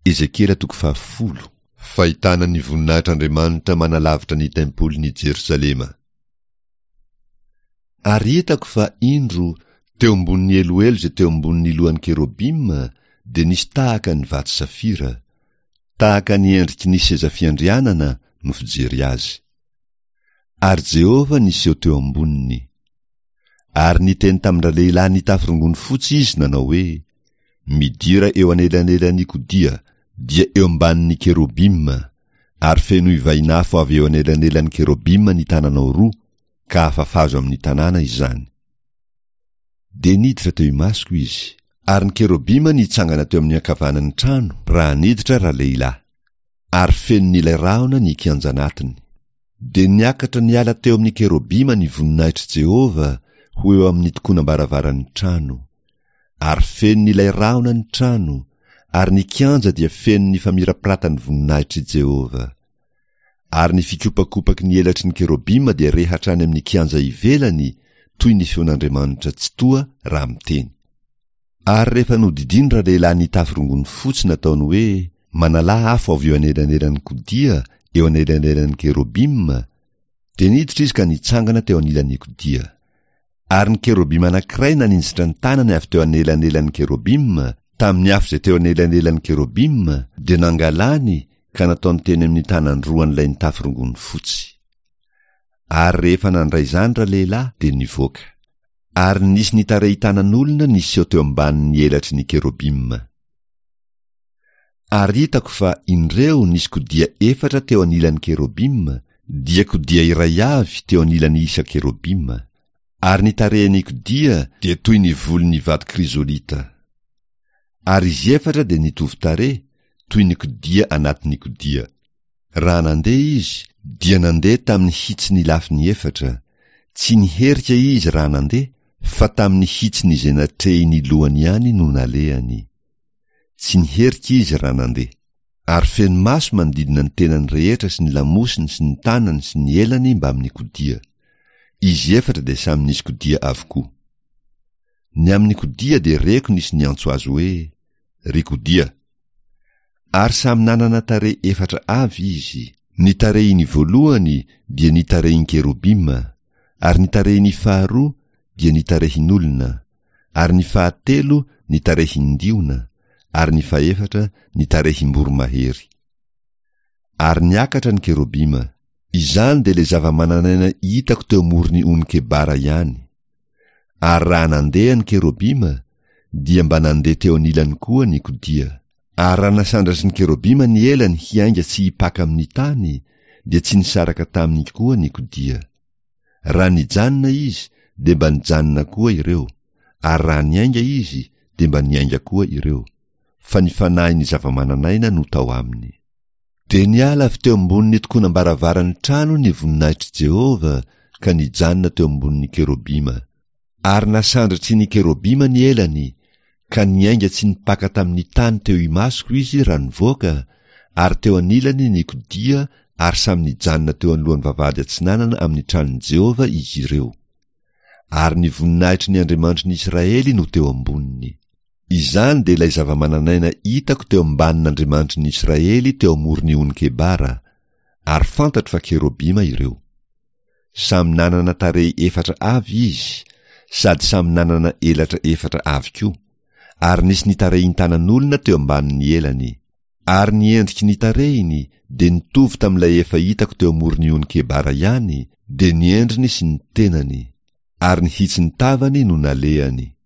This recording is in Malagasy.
Ezekiela toko fahafolo. Fahitana ny voninahitr'Andriamanitra manalavitra ny tempolin'i Jerosalema. Ary hitako fa, indro, teo ambonin'ny eloelo izay teo ambonin'ny lohan'ny kerobima dia nisy tahaka ny vato safira, tahaka ny endriky ny seza fiandrianana no fijery azy. Ary Jehovah niseho teo amboniny. Ary niteny tamin-dralehilahy nitafy rongony fotsy izy nanao hoe, Midira eo anelanelan'ny kodia, dia eo ambanin'ny kerobima, ary fenoy vainafo avy eo anelanelan'ny kerobima ny tananao roa, ka afafazo amin'ny tanàna izany. Dia niditra teo imasoko izy. Ary ny kerobima nitsangana teo amin'ny ankavanan'ny trano raha niditra ralehilahy. Ary fenon'ilay rahona ny kianja anatiny. Dia niakatra niala teo amin'ny kerobima ny voninahitr'i Jehovah ho eo amin'ny tokonam-baravaran'ny trano. Ary fenon'ilay rahona ny trano, ary ny kianja dia feno ny famirapiratan'ny voninahitr'i Jehovah. Ary ny fikopakopaky ny elatry ny kerobima dia re hatrany amin'ny kianja ivelany, toy ny feon'Andriamanitra Tsitoha raha miteny. Ary rehefa nodidiany ralehilahy nitafy rongony fotsy nataony hoe, Manalà afo avy eo anelanelan'ny kodia, eo anelanelan'ny kerobima, dia niditra izy ka nitsangana teo anilan'ny kodia. Ary ny kerobima anankiray naninjitra ny tanany avy teo anelanelan'ny kerobima, tamin'ny afo izay teo anelanelan'ny kerobima, dia nangalany ka nataony teny amin'ny tanan-droan'ilay nitafy rongony fotsy. Ary rehefa nandray izany ralehilahy, dia nivoaka. Ary nisy nitarehin-tanan'olona niseho teo ambanin'ny elatry ny kerobima. Ary hitako fa, indreo, nisy kodia efatra teo anilan'ny kerobima, dia kodia iray avy teo anilan'ny isan-kerobima. Ary ny tarehin'ny kodia dia toy ny volon'ny vato krizolita. Ary izy efatra dia nitovy tarehy, toy ny kodia anatin'ny kodia. Raha nandeha izy, dia nandeha tamin'ny hitsin'ny lafiny efatra, tsy niherika izy raha nandeha, fa tamin'ny hitsin'izay natrehin'ny lohany ihany no nalehany. Tsy niherika izy raha nandeha. Ary feno maso manodidina ny tenany rehetra sy ny lamosiny sy ny tanany sy ny elany mbamin'ny kodia. Izy efatra dia samy nisy kodia avokoa. Ny amin'ny kodia dia reko nisy niantso azy hoe, Ry kodia! Ary samy nanana tarehy efatra avy izy. Ny tarehiny voalohany dia ny tarehin-kerobima, ary ny tarehiny faharoa dia ny tarehin'olona, ary ny fahatelo ny tarehin-diona, ary ny fahefatra ny tarehim-boromahery. Ary niakatra ny kerobima. Izany dia ilay zava-manan'aina hitako teo amoron'ny ony Kebara ihany. Ary raha nandeha ny kerobima, dia mba nandeha teo anilany koa ny kodia. Ary raha nasandratry ny kerobima ny elany hiainga tsy hipaka amin'ny tany, dia tsy nisaraka taminy koa ny kodia. Raha nijanona izy, dia mba nijanona koa ireo, ary raha niainga izy, dia mba niainga koa ireo, fa ny fanahin'ny zava-manan'aina no tao aminy. Dia niala avy teo ambonin'ny tokonam-baravaran'ny trano ny voninahitr'i Jehovah ka nijanona teo ambonin'ny kerobima. Ary nasandratry ny kerobima ny elany, ka niainga tsy nipaka tamin'ny tany teo imasoko izy raha nivoaka, ary teo anilany ny kodia ary samy nijanona teo anoloan'ny vavahady atsinanana amin'ny tranon'i Jehovah izy ireo. Ary ny voninahitry ny Andriamanitry ny Israely no teo amboniny. Izany dia ilay zava-manan'aina hitako teo ambanin'Andriamanitry ny Israely teo amoron'ny ony Kebara, ary fantatro fa kerobima ireo. Samy nanana tarehy efatra avy izy, sady samy nanana elatra efatra avy koa, ary nisy nitarehin-tanan'olona teo ambanin'ny elany. Ary ny endriky ny tarehiny dia nitovy tamin'ilay efa hitako teo amoron'ny ony Kebara ihany, dia ny endriny sy ny tenany, ary ny hitsin'ny tavany no nalehany.